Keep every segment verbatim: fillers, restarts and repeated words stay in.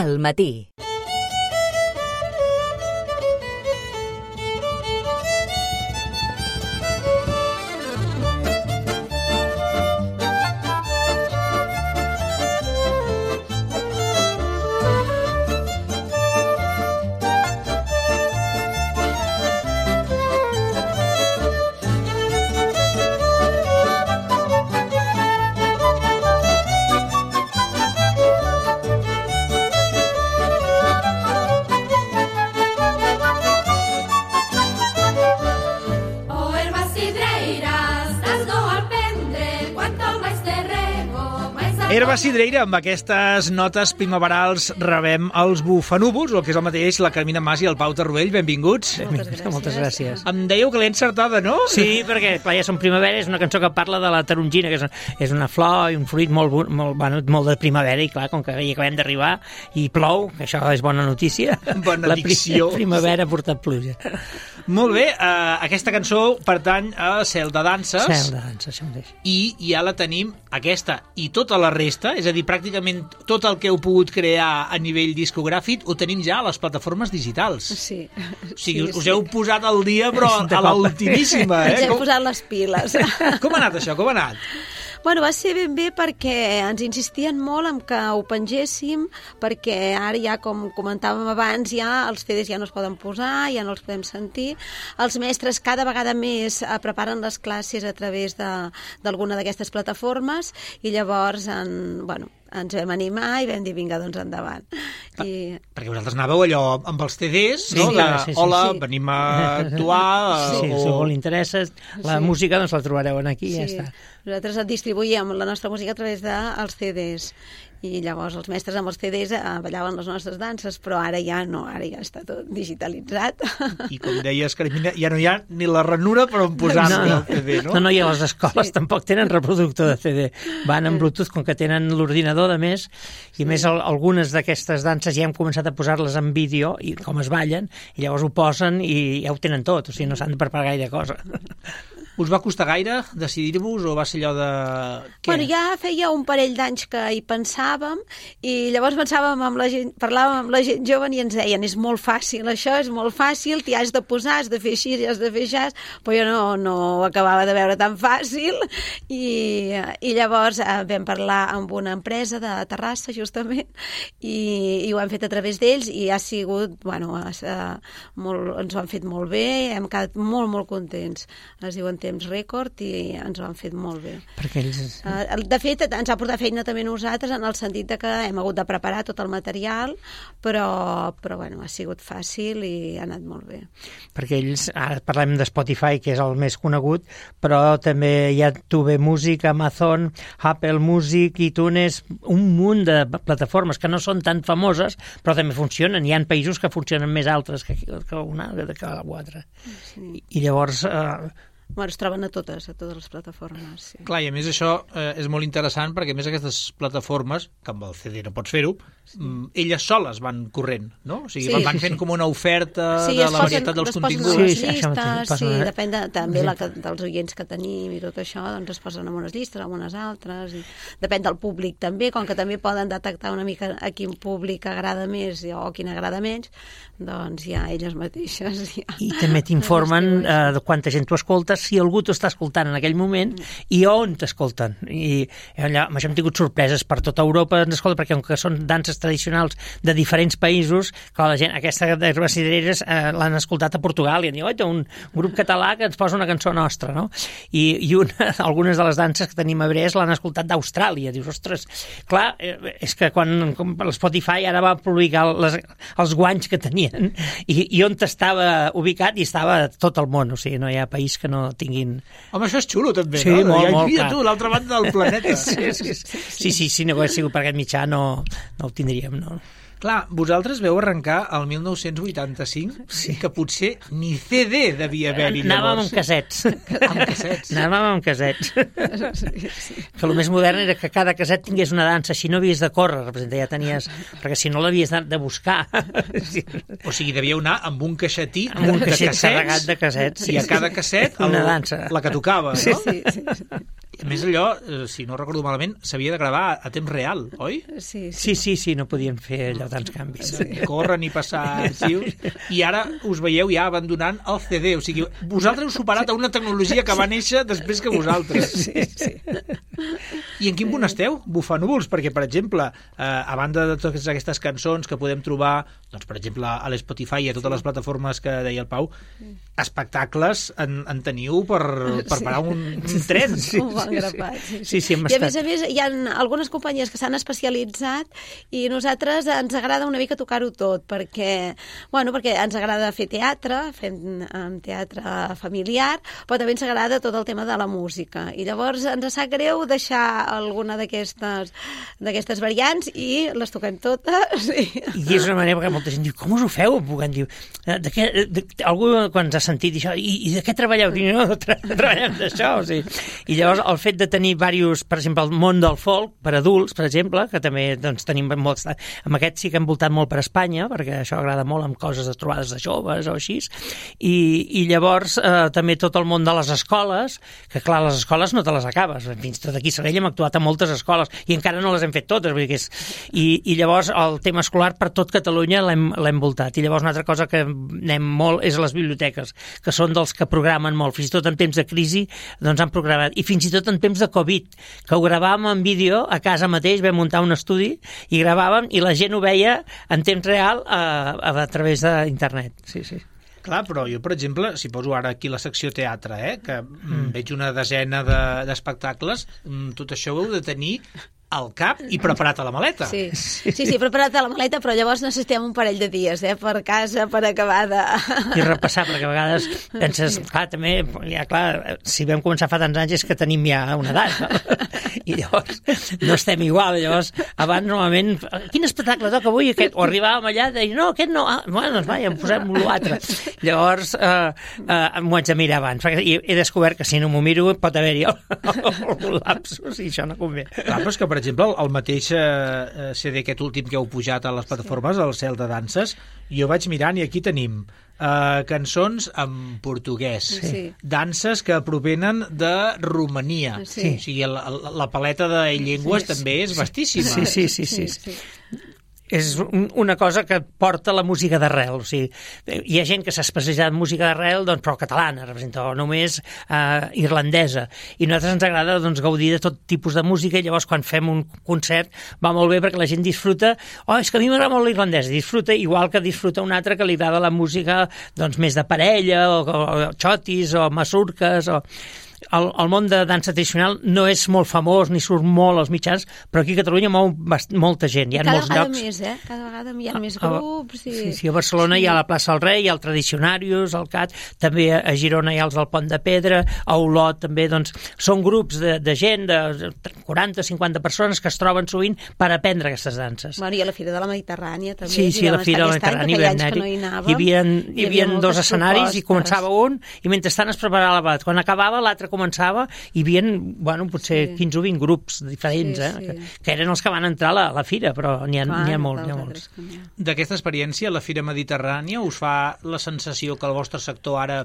Al matí. Herba Cidreira, amb aquestes notes primaverals rebem els bufanúvols, el que és el mateix la Carmina Mas i el Pau Tarruell. Benvinguts. Moltes gràcies. Moltes gràcies. Em dèieu que l'he encertada, no? Sí, perquè clar, ja som primavera, és una cançó que parla de la tarongina, que és, és una flor i un fruit molt, molt, bueno, molt de primavera, i clar, com que hi acabem d'arribar i plou, que això és bona notícia. Benedicció. La primavera ha portat pluja. Molt bé, uh, aquesta cançó pertany a Cel de Danses. Cel de Danses, això mateix. I ja la tenim, aquesta i tota la resta, és a dir, pràcticament tot el que heu pogut crear a nivell discogràfic ho tenim ja a les plataformes digitals. Sí. O sigui, sí, us sí. heu posat al dia, però a l'ultimíssima, eh? Ens hem Com... posat les piles. Com ha anat això? Com ha anat? Bueno, va ser ben bé perquè ens insistien molt en que ho pengéssim, perquè ara ja, com comentàvem abans, ja els C Ds ja no es poden posar, ja no els podem sentir. Els mestres cada vegada més preparen les classes a través d'alguna d'aquestes plataformes i llavors en, bueno, ens vam animar i vam dir, vinga, doncs endavant. I... Perquè vosaltres anàveu allò amb els C Ds, no? Sí, de, sí, sí, hola, sí. venim a actuar... Sí, o... si molt interessa, la Sí. música doncs la trobareu aquí i Sí. ja està. Nosaltres distribuïem la nostra música a través dels C Ds i llavors els mestres amb els C Ds ballaven les nostres danses, però ara ja no, ara ja està tot digitalitzat. I com deies, Carmina, ja no hi ha ni la ranura per on posar-se no, no. el C D, no? No, no, i a les escoles Sí. tampoc tenen reproductor de C D. Van en Bluetooth, com que tenen l'ordinador, de més, i a més el, algunes d'aquestes danses ja hem començat a posar-les en vídeo, i com es ballen, i llavors ho posen i ja ho tenen tot, o sigui, no s'han de preparar gaire cosa. Us va costar gaire decidir-vos o va ser allò de... Què? Bueno, ja feia un parell d'anys que hi pensàvem i llavors pensàvem amb la gent, parlàvem amb la gent jove i ens deien, és molt fàcil això, és molt fàcil, t'hi has de posar, has de fer així, has de fer això, però jo no, no ho acabava de veure tan fàcil i, i llavors eh, vam parlar amb una empresa de Terrassa, justament, i, i ho hem fet a través d'ells i ha sigut, bueno, eh, molt, ens ho han fet molt bé, hem quedat molt, molt contents. Es diuen temps rècord i ens ho han fet molt bé. Perquè ells... Uh, de fet, ens ha portat feina també nosaltres en el sentit de que hem hagut de preparar tot el material, però, però bueno, ha sigut fàcil i ha anat molt bé. Perquè ells, ara parlem de Spotify, que és el més conegut, però també hi ha Tube Music, Amazon, Apple Music, iTunes, un munt de plataformes que no són tan famoses, però també funcionen. Hi ha països que funcionen més altres que, que una, que l'altra. Sí. I, I llavors... Eh, Bueno, es troben a totes, a totes les plataformes. Sí. Clar, i a més això eh, és molt interessant perquè a més aquestes plataformes, que amb el C D no pots fer-ho, sí. mm, elles soles van corrent, no? O sigui, Sí. van fent com una oferta Sí, de es la posen- varietat dels es posen continguts. a les Sí, sí, això mateix, llistes, posen sí, una- depèn de, també la, que- dels oients que tenim i tot això, doncs es posen en unes llistes, en unes altres, i depèn del públic també, com que també poden detectar una mica a quin públic agrada més o quin agrada menys, doncs ja elles mateixes... Ja. I també t'informen eh, de quanta gent t'ho escoltes, si algú t'ho està escoltant en aquell moment i on t'escolten. I allà, amb això hem tingut sorpreses per tota Europa, ens escolta, perquè com que són danses tradicionals de diferents països, clar, la gent, aquesta d'Herba Cidreres eh, l'han escoltat a Portugal i han dit, oi, un grup català que ens posa una cançó nostra, no? I, i una, algunes de les danses que tenim a Brest l'han escoltat d'Austràlia. Dius, ostres, clar, eh, és que quan l'Spotify ara va publicar les, els guanys que tenien i, i on estava ubicat i estava tot el món, o sigui, no hi ha país que no tinguin... Home, això és xulo també, Sí, no? molt, Ja, molt, mira clar. tu, l'altra banda del planeta. Sí, sí, sí, sí, sí, si no hagués sigut per aquest mitjà no, no ho tindríem, no? Clar, vosaltres veu arrencar el mil nou-cents vuitanta-cinc, sí. que potser ni C D devia haver-hi Anàvem llavors. amb cassets. Amb cassets. Anàvem amb cassets. Sí, sí. Que el més modern era que cada casset tingués una dansa, si no havies de córrer, representa, ja tenies... Perquè si no l'havies de, de buscar. Sí. O sigui, devíeu anar amb un caixetí Amb un de caixet cassets carregat de cassets. i a cada casset una el, dansa. la que tocava, no? Sí, sí, sí. A més, allò, si no recordo malament, s'havia de gravar a temps real, oi? Sí, sí. Sí, sí, sí, no podien fer allò tants canvis. Sí. Corren i passar arxius, i ara us veieu ja abandonant el C D, o sigui, vosaltres heu superat a una tecnologia que va néixer després que vosaltres. Sí, sí. I en quin punt esteu, bufanúvols? Perquè, per exemple, eh, a banda de totes aquestes cançons que podem trobar, doncs, per exemple, a l'Spotify i a totes les plataformes que deia el Pau, espectacles en, en teniu per, per parar un, un tren. Sí, un bon grapat. Sí, sí, sí, hem I a estat. més a més hi ha algunes companyies que s'han especialitzat i nosaltres ens agrada una mica tocar-ho tot, perquè, bueno, perquè ens agrada fer teatre, fem um, teatre familiar, però també ens agrada tot el tema de la música. I llavors ens sap greu deixar alguna d'aquestes d'aquestes variants i les toquem totes. I... I és una manera que molta gent diu, com us ho feu? Puguem dir, de què, de, algú quan ens ha sentit això, i, i de què treballeu? Diu, no, tra treballem d'això. O sigui. I llavors el fet de tenir diversos, per exemple, el món del folk, per adults, per exemple, que també doncs, tenim molts... Amb aquest sí que hem voltat molt per Espanya, perquè això agrada molt amb coses de trobades de joves o així, i, i llavors eh, també tot el món de les escoles, que clar, les escoles no te les acabes. Fins tot aquí a Sabadell hem actuat a moltes escoles i encara no les hem fet totes. Vull dir que és... I, I llavors el tema escolar per tot Catalunya l'hem voltat. I llavors una altra cosa que anem molt és les biblioteques, que són dels que programen molt. Fins i tot en temps de crisi doncs han programat. I fins i tot en temps de Covid, que ho gravàvem en vídeo a casa mateix, vam muntar un estudi i gravàvem i la gent ho veia en temps real a, a, a través d'internet. Sí, sí. Clar, però jo, per exemple, si poso ara aquí la secció teatre, eh, que Mm. veig una desena d'espectacles, de, tot això ho heu de tenir al cap i preparat a la maleta. Sí, sí, sí, preparat a la maleta, però llavors necessitem un parell de dies, eh, per casa, per acabar de... I repassar, perquè a vegades penses, clar, també, ja clar, si vam començar fa tants anys és que tenim ja una edat, no? I llavors no estem igual, llavors abans normalment, quin espectacle toca avui aquest? O arribàvem allà i deia, no, aquest no, ah, bueno, doncs va, ja en posem l'altre. Llavors eh, eh, m'ho haig de mirar abans, perquè he descobert que si no m'ho miro pot haver-hi un lapsus i això no convé. Clar, però és que, per exemple, el mateix eh, C D aquest últim que heu pujat a les plataformes, el Cel de Danses, jo vaig mirant i aquí tenim eh, cançons en portuguès, Sí. danses que provenen de Romania. Sí. O sigui, la, la paleta de llengües Sí. també és vastíssima. Sí, sí, sí, sí. sí. És un, una cosa que porta la música d'arrel. O sigui, hi ha gent que s'ha especialitzat en música d'arrel, doncs, però catalana, representa, o només eh, irlandesa. I a nosaltres ens agrada doncs, gaudir de tot tipus de música, i llavors quan fem un concert va molt bé perquè la gent disfruta. Oh, és que a mi m'agrada molt l'irlandesa. Disfruta igual que disfruta un altre que li agrada la música doncs, més de parella, o, o, o xotis, o masurques, o... El, el món de dansa tradicional no és molt famós ni surt molt als mitjans, però aquí a Catalunya mou bast molta gent. Hi ha Cada molts vegada llocs. més, eh? Cada vegada hi ha més A- a- grups. I... Sí, sí, a Barcelona sí. Hi ha la plaça del Rei, hi ha el Tradicionarius, el C A T, també a Girona hi ha els del Pont de Pedra, a Olot també, doncs, són grups de, de gent, de quaranta cinquanta persones que es troben sovint per aprendre aquestes danses. Bueno, i a la Fira de la Mediterrània també. Sí, sí, hi a la vam Fira de la estar aquest any, Mediterrània que vam feia anys que anar-hi. no hi anàvem. Hi havia, hi havia dos moltes escenaris propostes. i començava un i mentrestant es preparava la bat. Quan acabava l'altre començava i hi havia, bueno, potser Sí. quinze o vint grups diferents, Sí, eh, sí. que, que eren els que van entrar a la, a la fira, però n'hi ha, Clar, n'hi ha molts, n'hi ha dels molts. altres que n'hi ha. D'aquesta experiència, la Fira Mediterrània us fa la sensació que el vostre sector ara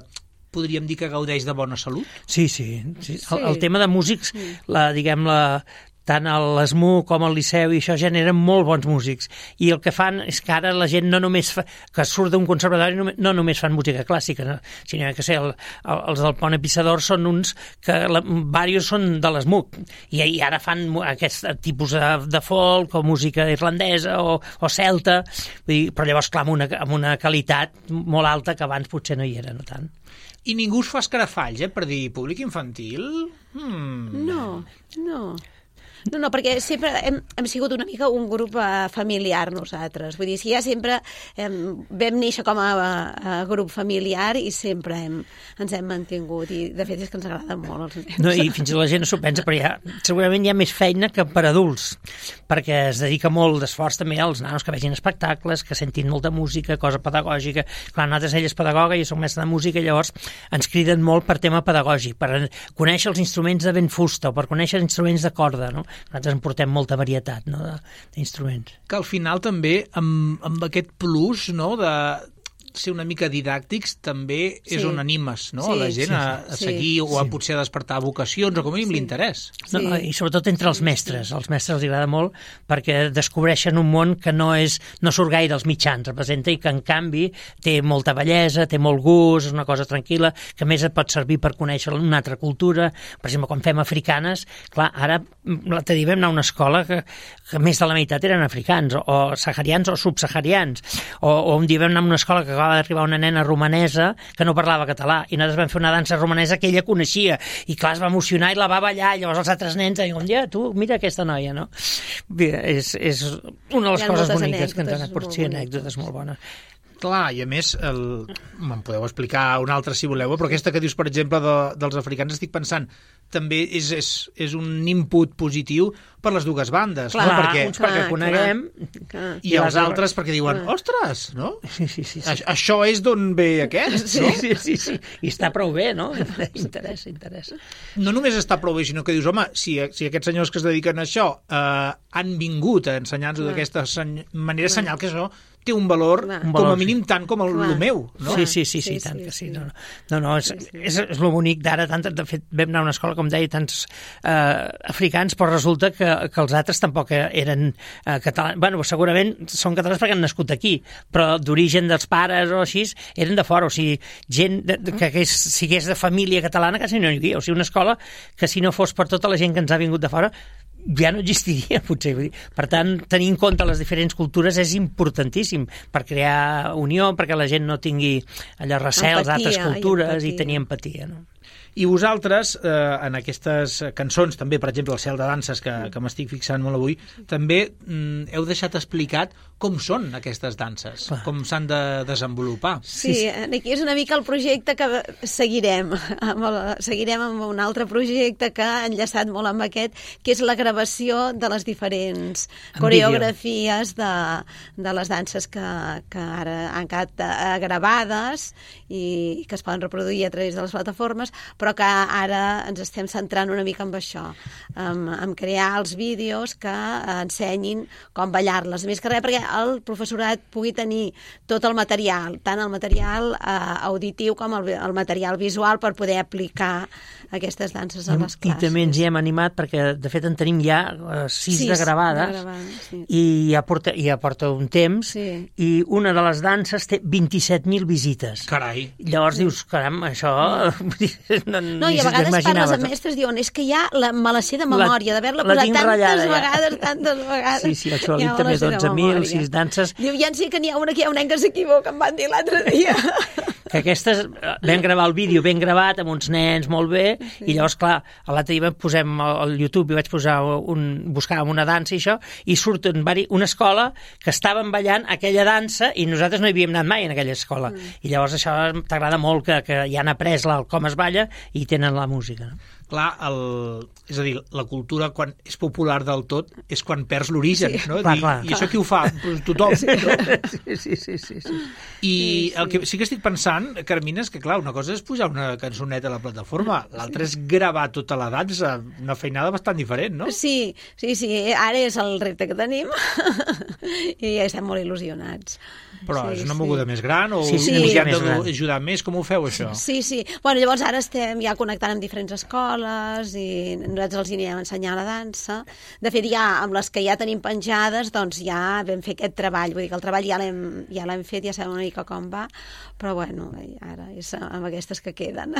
podríem dir que gaudeix de bona salut? Sí, sí. sí. Sí. El, el tema de músics, la, diguem, la, tant a l'ESMU com al Liceu i això generen molt bons músics. I el que fan és que ara la gent no només fa, que surt d'un conservatori no, no només fan música clàssica, no? Sinó que sé, el, el, els del Pont Epissador són uns que la, diversos són de l'ESMUC i, i ara fan aquest tipus de, de folk o música irlandesa o, o celta, vull dir, però llavors clar, amb una, amb una qualitat molt alta que abans potser no hi era, no tant. I ningú us fa escarafalls, eh, per dir públic infantil? Hmm. No, no. No, no, perquè sempre hem, hem sigut una mica un grup uh, familiar nosaltres. Vull dir, si ja sempre hem, vam néixer com a, a grup familiar i sempre hem, ens hem mantingut. I de fet és que ens agraden molt els nens. No, i fins i tot la gent no s'ho pensa, però hi ha, segurament hi ha més feina que per adults, perquè es dedica molt d'esforç també als nanos que vegin espectacles, que sentin molta música, cosa pedagògica. Clar, nosaltres, ella és pedagoga, jo soc mestre de música, i llavors ens criden molt per tema pedagògic, per conèixer els instruments de vent fusta o per conèixer els instruments de corda, no? Nosaltres en portem molta varietat, no?, d'instruments. Que al final també amb, amb aquest plus, no?, de ser una mica didàctics també és Sí. on animes, no? Sí, a la gent sí, a, a sí, seguir sí. o a potser a despertar vocacions o com a mínim Sí. l'interès. No, no, I sobretot entre els mestres. Als mestres els agrada molt perquè descobreixen un món que no és no surt gaire als mitjans, representa, i que en canvi té molta bellesa, té molt gust, és una cosa tranquil·la, que a més et pot servir per conèixer una altra cultura. Per exemple, quan fem africanes, clar, ara l'altre dia vam anar a una escola que, que més de la meitat eren africans, o, o saharians o subsaharians, o, o un dia vam anar a una escola que acaba d'arribar una nena romanesa que no parlava català, i nosaltres vam fer una dansa romanesa que ella coneixia, i clar, es va emocionar i la va ballar, i llavors els altres nens diuen, ja, tu, mira aquesta noia, no? Bé, és, és una de les coses boniques que ens han aportat, sí, anècdotes molt bones. Clar, i a més, el... me'n podeu explicar una altra si voleu, però aquesta que dius, per exemple, de, dels africans, estic pensant, també és, és, és un input positiu per les dues bandes, Clar, no? Perquè, uns perquè clar, coneguem, clar. i els altres perquè diuen, ostres, no? Sí, sí, sí. sí. A, això és d'on ve aquest, Sí, no? sí, sí, sí. I està prou bé, no? Interessa, interessa. No només està prou bé, sinó que dius, home, si, si aquests senyors que es dediquen a això eh, han vingut a ensenyar-nos d'aquesta seny... manera, senyal que això té un valor, Clar. com Un valor, a mínim tant com el, el meu, no? Sí, sí, sí, sí, Sí, tant sí, que sí. sí. No, no, no, no és, és, és lo bonic d'ara. Tant, de fet, vam anar a una escola, com deia, tants eh, africans, però resulta que, que els altres tampoc eren eh, catalans. Bueno, segurament són catalans perquè han nascut aquí, però d'origen dels pares o així, eren de fora. O sigui, gent de, de, que hagués, sigués de família catalana quasi no hi havia. O sigui, una escola que si no fos per tota la gent que ens ha vingut de fora, ja no existiria, potser. Vull dir. Per tant, tenir en compte les diferents cultures és importantíssim per crear unió, perquè la gent no tingui allò recels d'altres cultures i, i tenir empatia, no? I vosaltres, eh, en aquestes cançons, també, per exemple, el Cel de Danses, que, que m'estic fixant molt avui, també mm, heu deixat explicat com són aquestes danses, Clar. com s'han de desenvolupar. Sí, aquí és una mica el projecte que seguirem. Amb el, seguirem amb un altre projecte que ha enllaçat molt amb aquest, que és la gravació de les diferents En coreografies de, de les danses que, que ara han quedat eh, gravades i que es poden reproduir a través de les plataformes, però que ara ens estem centrant una mica en això, en, en crear els vídeos que ensenyin com ballar-les. Més que res perquè el professorat pugui tenir tot el material, tant el material eh, auditiu com el, el material visual per poder aplicar aquestes danses a les I classes. també ens hi hem animat perquè, de fet, en tenim ja uh, sis, Sis de gravades, de gravades, sí. i ja porta, ja porta un temps, Sí. i una de les danses té vint-i-set mil visites. Carai. Llavors dius, caram, això... no, No, i a vegades parles amb mestres i diuen és que ja la, me la sé de memòria, d'haver-la la posat tinc tantes ratllada, ja. vegades, tantes vegades. Sí, sí, el Xolit Ja me també la és sé de dotze mil, memòria. sis danses. Diu, ja en sé que n'hi ha una que hi ha un nen que s'equivoca, em van dir l'altre dia. Que aquestes, eh, vam gravar el vídeo ben gravat, amb uns nens molt bé, sí. I llavors, clar, l'altre dia posem al YouTube i vaig posar un, buscàvem una dansa i això, i surten vari, una escola que estaven ballant aquella dansa i nosaltres no hi havíem anat mai en aquella escola. Mm. I llavors això t'agrada molt, que, que ja han après la, com es balla i tenen la música, no? Clar, el, és a dir, la cultura quan és popular del tot és quan perds l'origen, Sí. no? Clar, I, clar, I clar. això qui ho fa? Pues tothom. No? Sí, sí, sí, sí, sí. I Sí, sí. el que sí que estic pensant, Carmina, és que clar, una cosa és pujar una cançoneta a la plataforma, l'altra és gravar tota la dansa, una feinada bastant diferent, no? Sí, sí, sí, ara és el repte que tenim i estem molt il·lusionats. Però Sí, és una sí. moguda més gran o Sí, sí, us hi una han mica més gran. d'ajudar més? Com ho feu, això? Sí, sí. Bueno, llavors ara estem ja connectant amb diferents escoles i nosaltres els hi anirem a ensenyar la dansa. De fet, ja amb les que ja tenim penjades, doncs ja vam fer aquest treball. Vull dir que el treball ja l'hem ja l'hem fet, ja sabem una mica com va, però bueno, ara és amb aquestes que queden.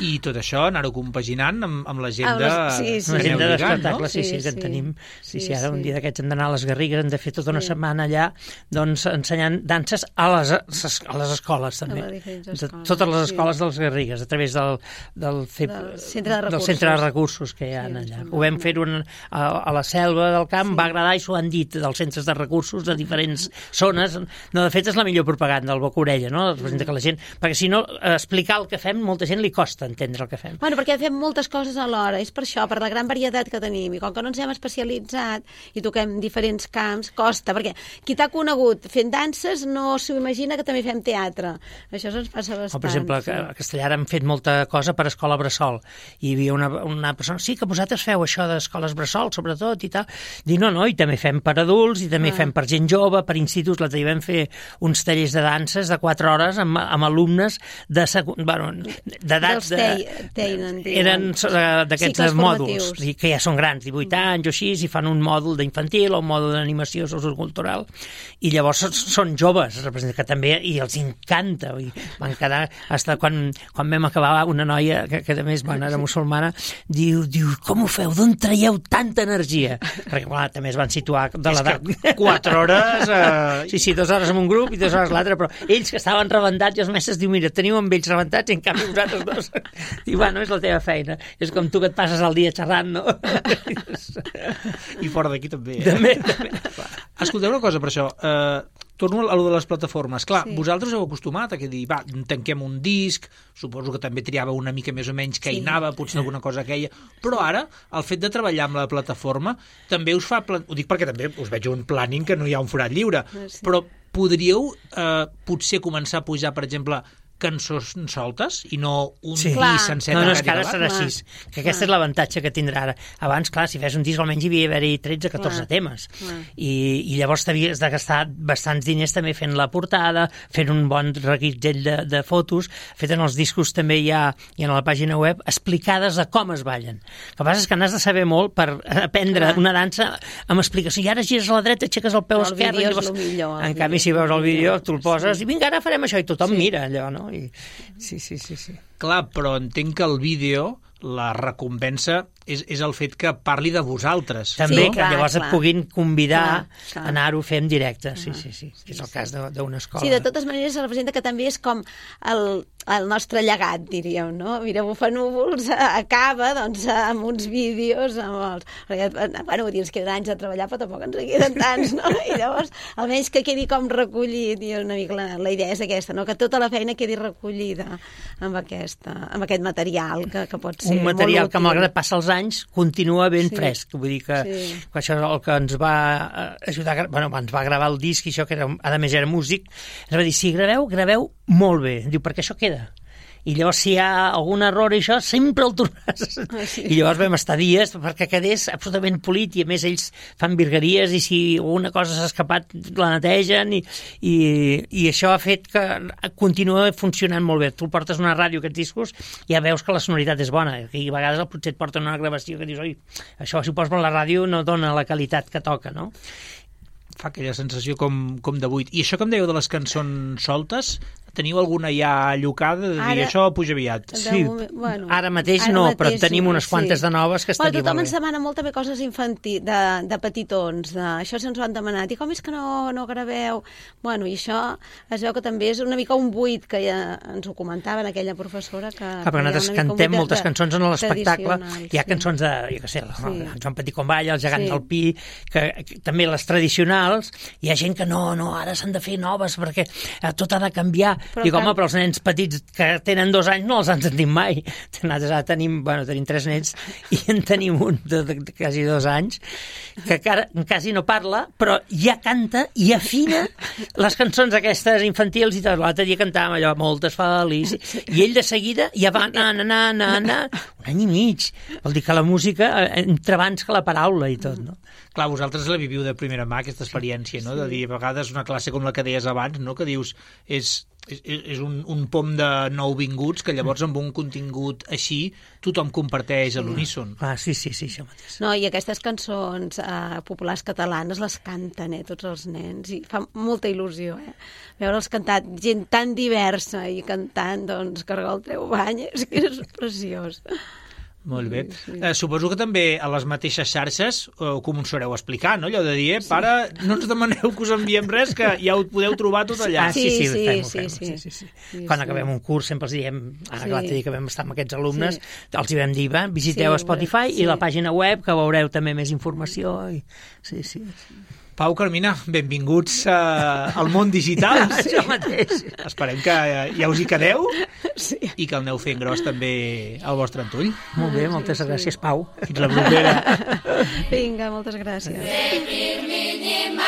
I tot això, anar-ho compaginant amb, amb l'agenda Amb les- sí, sí. Una que aneu agenda lligant, d'espectacle, sí, sí, Sí, que en sí. tenim. Sí, sí, Sí, ara un sí. dia d'aquests hem d'anar a les Garrigues, hem de fer tota una Sí. setmana allà, doncs, ensenyant danses a les, a les escoles, també. les diferents De escoles, totes les sí. escoles dels Garrigues, a través del, del, C E P, Del centre de del recursos. centre de recursos que hi ha Sí, allà. sí, Ho vam sí. fer un, a, a la selva del camp, Sí. va agradar i s'ho han dit dels centres de recursos de diferents zones. No, de fet, és la millor propaganda, el boca-orella, no? Representa que la gent... Perquè si no, explicar el que fem, molta gent li costa entendre el que fem. Bueno, perquè fem moltes coses alhora, és per això, per la gran varietat que tenim, i com que no ens hem especialitzat i toquem diferents camps, costa, perquè qui t'ha conegut fent danses no s'ho imagina que també fem teatre. Això ens passa bastant. O, per exemple, sí. a Castellar hem fet molta cosa per Escola Bressol, bressol. I hi havia una, una persona, sí, que vosaltres feu això d'escoles bressol, sobretot, i tal. Dic, no, no, i també fem per adults, i també ah. fem per gent jove, per instituts. L'altre dia vam fer uns tallers de danses de quatre hores amb, amb alumnes de segon, bueno, d'edats... De, eren d'aquests mòduls, que ja són grans, divuit anys o així, i fan un mòdul d'infantil o un mòdul d'animació sociocultural, i llavors són joves, que també, i els encanta, i van quedar, hasta quan, quan vam acabar, una noia, que, que a més, bueno, era musulmana, diu, diu, com ho feu? D'on traieu tanta energia? Perquè, clar, també es van situar de l'edat. És que quatre hores... Eh... Sí, sí, dues hores amb un grup i dues hores l'altre, però ells que estaven rebentats, i els mestres diu, mira, teniu amb ells rebentats i en canvi vosaltres dos. Diu, bueno, és la teva feina. És com tu que et passes el dia xerrant, no? I fora d'aquí també. Eh? També, també. Escolteu una cosa per això. Eh, torno a lo de les plataformes. Clar, Sí. vosaltres heu acostumat a que dir, va, tanquem un disc, suposo que també triava una mica més o menys què hi Sí. anava, potser alguna cosa queia, però ara, el fet de treballar amb la plataforma també us fa... Plan... Ho dic perquè també us veig un planning que no hi ha un forat lliure, Sí. però podríeu eh, potser començar a pujar, per exemple, cançons soltes i no un Sí. disc Clar. sencer No, no, és tancat que i ara acabat? serà Clar. així. Que aquest és l'avantatge que tindrà ara. Abans, clar, si fes un disc almenys hi havia d'haver-hi tretze o catorze Clar. temes. Clar. I, I llavors t'havies de gastar bastants diners també fent la portada, fent un bon reguitzell de, de fotos. Fet en els discos també hi ha, hi ha a la pàgina web explicades de com es ballen. El que passa és que n'has de saber molt per aprendre Clar. una dansa amb explicació. I ara gires a la dreta, aixeques el peu El esquerre. vídeo i és llavors... lo millor, el En canvi, si vídeo veus és el lo vídeo, millor. tu el poses Sí. i vinga, ara farem això, i tothom Sí. mira allò, no? I... Sí, sí, sí, sí. Clar, però entenc que el vídeo, la recompensa, és, és el fet que parli de vosaltres. També, Sí, que clar, llavors clar. et puguin convidar Clar, clar. a anar-ho a fer en directe. Sí, sí, sí. És el cas de- d'una escola. Sí, de totes maneres se representa que també és com el, el nostre llegat, diríeu, no? Mira, Bufanúvols acaba, doncs, amb uns vídeos, amb els... Perquè, bueno, ens queden anys de treballar, però tampoc ens en queden tants, no? I llavors, almenys que quedi com recollit, i una mica la, la idea és aquesta, no? Que tota la feina quedi recollida amb, aquesta, amb aquest material, que, que pot ser Un material molt que, útil. malgrat passa els anys, continua ben Sí. fresc. Vull dir que, Sí. que això és el que ens va eh, ajudar... a gra- Bueno, ens va gravar el disc, i això que era, a més era músic, ens va dir, si graveu, graveu molt bé. Diu, perquè això queda. I llavors, si hi ha algun error i això, sempre el tornaràs. Ah, sí. I llavors vam estar dies perquè quedés absolutament polit, i a més ells fan virgueries, i si alguna cosa s'ha escapat la netegen, i, i, i això ha fet que continua funcionant molt bé. Tu el portes a una ràdio, aquests discos, i ja veus que la sonoritat és bona, i a vegades potser et porten una gravació que dius, oi, això si ho poses per la ràdio no dona la qualitat que toca, no? Fa aquella sensació com, com de buit. I això que em dèieu de les cançons soltes, teniu alguna ja allocada de dir Ara- això puja aviat? De Sí, moment, bueno, ara mateix ara no, mateix però en tenim no, unes quantes de noves que bueno, estaria tothom molt ens bé. demana molt també coses infantils, de, de petitons, de, això se'ns ho han demanat, i com és que no, no graveu? Bueno, i això es veu que també és una mica un buit, que ja ens ho comentaven aquella professora, que... Ah, perquè que hi ha nosaltres una mica un cantem buit de- moltes cançons en l'espectacle. tradicionals, Hi ha sí. cançons de, jo què sé, el, Sí. el Joan Petit com balla, el gegant Sí. del Pi, que, que també les tradicionals, hi ha gent que no, no, ara s'han de fer noves perquè eh, tot ha de canviar. Però Dic, home, can- però els nens petits que tenen dos anys no els han sentit mai. Nosaltres ara tenim, bueno, tenim tres nens i en tenim un de, de, de quasi dos anys que cara, quasi no parla, però ja canta i afina les cançons aquestes infantils i tot. L'altre dia cantàvem allò, moltes feliç, i ell de seguida ja va na, na, na, na, na, un any i mig. Vol dir que la música eh, entra abans que la paraula i tot, no? Clar, vosaltres la viviu de primera mà, aquesta experiència, no? De dir, a vegades, una classe com la que deies abans, no? Que dius, és, és, és un, un pom de nouvinguts que llavors amb un contingut així tothom comparteix a l'uníson. Ah, sí, sí, sí, això mateix. No, i aquestes cançons eh, populars catalanes les canten, eh, tots els nens, i fa molta il·lusió, eh? Veure'ls cantar, gent tan diversa i cantant, doncs, Cargol treu bany, és que és preciós. Molt bé. Eh, suposo que també a les mateixes xarxes eh, ho començareu a explicar, no? Allò de dir, eh, pare, no ens demaneu que us enviem res, que ja ho podeu trobar tot allà. Ah, sí, sí, Sí, ho sí, fem, ho sí, fem, sí. sí, sí, sí. Sí, Quan sí. acabem un curs sempre els diem, ara Sí. que l'altre dia que vam estar amb aquests alumnes, Sí. els hi vam dir, va, visiteu Sí, Spotify sí. i la pàgina web, que veureu també més informació. I... Sí, sí. Pau, Carmina, benvinguts eh, al món digital. Això mateix. Esperem que eh, ja us hi quedeu Sí. i que el aneu fent gros també al vostre entull. Molt bé, moltes gràcies, Pau. Fins la propera. Vinga, moltes gràcies. Zekir minima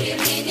Give me